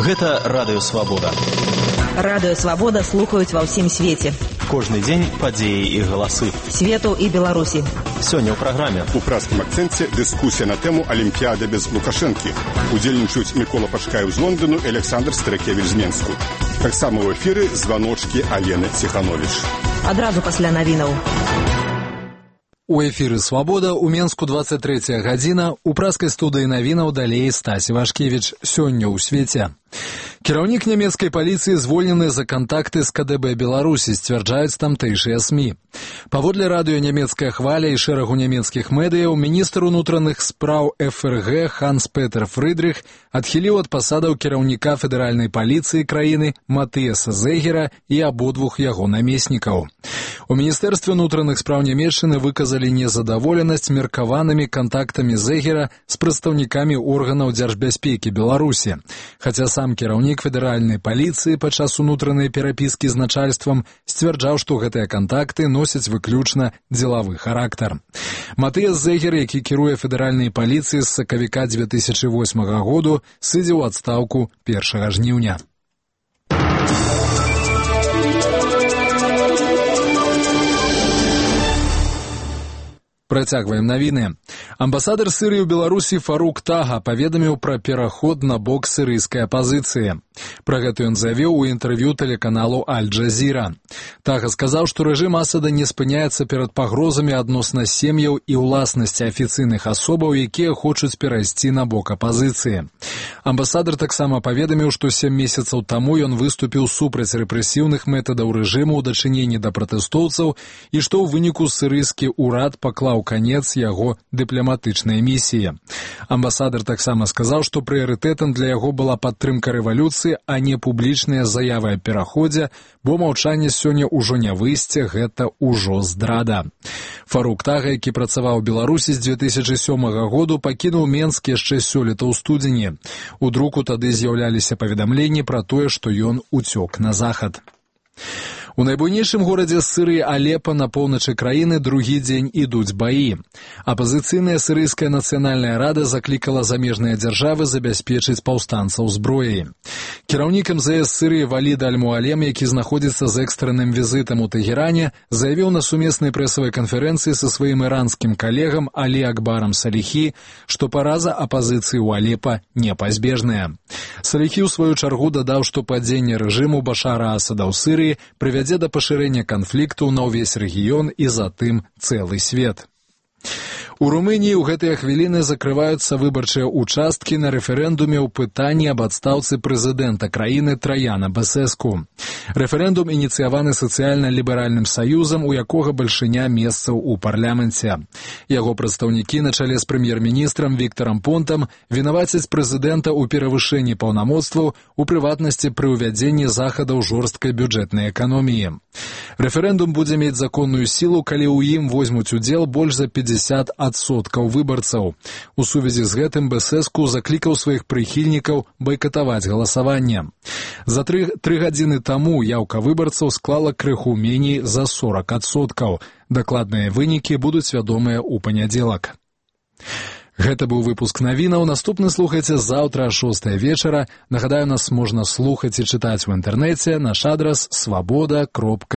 Гэта Радыё Свабода. Радыё Свабода слухаюць ва ўсім свеце. Кожны дзень падзеі і галасы. Свету і Беларусі. Сёння ў праграме. У пражскім акцэнце дыскусія на тэму Алімпіяда без Лукашэнкі. Удзельнічаюць Мікола Пашкаеў з Лондану і Александр Старакевіч з Менску. Таксама ў эфіры званочкі Алены Ціхановіч. Адразу пасля навінаў. У эфіры «Свабода» у Менску 23 гадзіна, у пражскай студыі навінаў далей Стась Івашкевіч. Сёння ў свеце. Кіраўнік нямецкай паліцыі звольнены за кантакты з КДБ Беларусі, сцвярджаюць тамтэйшыя СМІ. Паводле радыё «Нямецкая хваля» і шэрагу нямецкіх медыяў, міністр унутраных спраў ФРГ Ханс-Петер Фрыдрых адхіліў ад пасадаў кіраўніка федэральнай паліцыі краіны Матыяса Зегера і абодвух яго намеснікаў. У Міністэрстве унутраных спраў Нямецчыны выказалі незадаволенасць меркаванымі кантактамі Зегера з прадстаўнікамі органаў дзяржбяспекі Беларусі. Хаця сам кіраўнік федэральнай паліцыі падчас унутранай перапіскі з начальствам сцвярджаў, што гэтыя кантакты носяць выключна дзелавы характар. Матыяс Зегер, які кіруе федэральнай паліцыі з сакавіка 2008 году, сыдзе ў адстаўку 1 жніўня. Працягваем навіны. Амбасадар Сырыі ў Беларусі Фарук Тага паведаміў пра пераход на бок сырыйскай апазіцыі. Пра гэта ён заявіў у інтэрв'ю тэлеканалу Аль-Джазіра. Тага сказаў, што рэжым Асада не спыняецца перад пагрозамі адносна сем'яў і ўласнасці афіцыйных асобаў, якія хочуць перайсці на бок апазіцыі. Амбасадар таксама паведаміў, што 7 месяцаў таму ён выступіў супраць рэпрэсіўных метадаў рэжыму ў дачыненні да пратэстоўцаў і што ў выніку сырыйскі ўрад паклаў канец яго дыпламатычнай місіі. Амбасадар таксама сказаў, што прыярытэтам для яго была падтрымка рэвалюцыі, а не публічныя заявы аб пераходзе, бо маўчанне сёння ўжо не выйсце, гэта ўжо здрада. Фарук Тага, які працаваў у Беларусі з 2007 году, пакінуў Менск яшчэ сёлета ў студзені. У друку тады з'яўляліся паведамленні пра тое, што ён уцёк на захад. У найбуйнейшым горадзе Сырыі Алепа на поўначы краіны другі дзень ідуць баі. Апазіцыйная сырыйская нацыянальная рада заклікала замежныя дзяржавы забяспечыць паўстанцаў зброяй. Кіраўнік МЗС Сырыі Валід Аль-Муалем, які знаходзіцца з экстранным візітам у Тэгеране, заявіў на сумеснай прэсавай канферэнцыі са сваім іранскім калегам Алі Акбарам Саліхі, што параза апазіцыі ў Алепа непазбежная. Саліхі ў сваю чаргу дадаў, што падзенне рэжыму Башара Асада ў Сырыі прывядзе да пашырэння канфлікту на ўвесь рэгіён і затым цэлы свет. У Румыніі ў гэтыя хвіліны закрываюцца выбарчыя участкі на рэферэндуме ў пытанні аб адстаўцы прэзідэнта краіны Траяна Бэсэску. Рэферэндум ініцыяваны сацыяльна-ліберальным саюзам, у якога бальшыня месцаў у парламенце. Яго прадстаўнікі на чале з прэм'ер-міністрам Віктарам Понтам вінавацяць прэзідэнта ў перавышэнні паўнамоцтваў, у прыватнасці пры ўвядзенні захадаў жорсткай бюджэтнай эканоміі. Рэферэндум будзе мець законную сілу, калі ў ім возьмуць удзел больш за 50% выбарцаў. У сувязі з гэтым Бэсэску заклікаў сваіх прыхільнікаў байкатаваць галасаванне. За 3 гадзіны таму яўка выбарцаў склала крыху меней за 40%. Дакладныя вынікі будуць вядомыя ў панядзелак. Гэта быў выпуск навінаў. Наступны слухайце заўтра о 6 вечара. Нагадаю, нас можна слухаць і чытаць у інтэрнэце. Наш адрас свабода.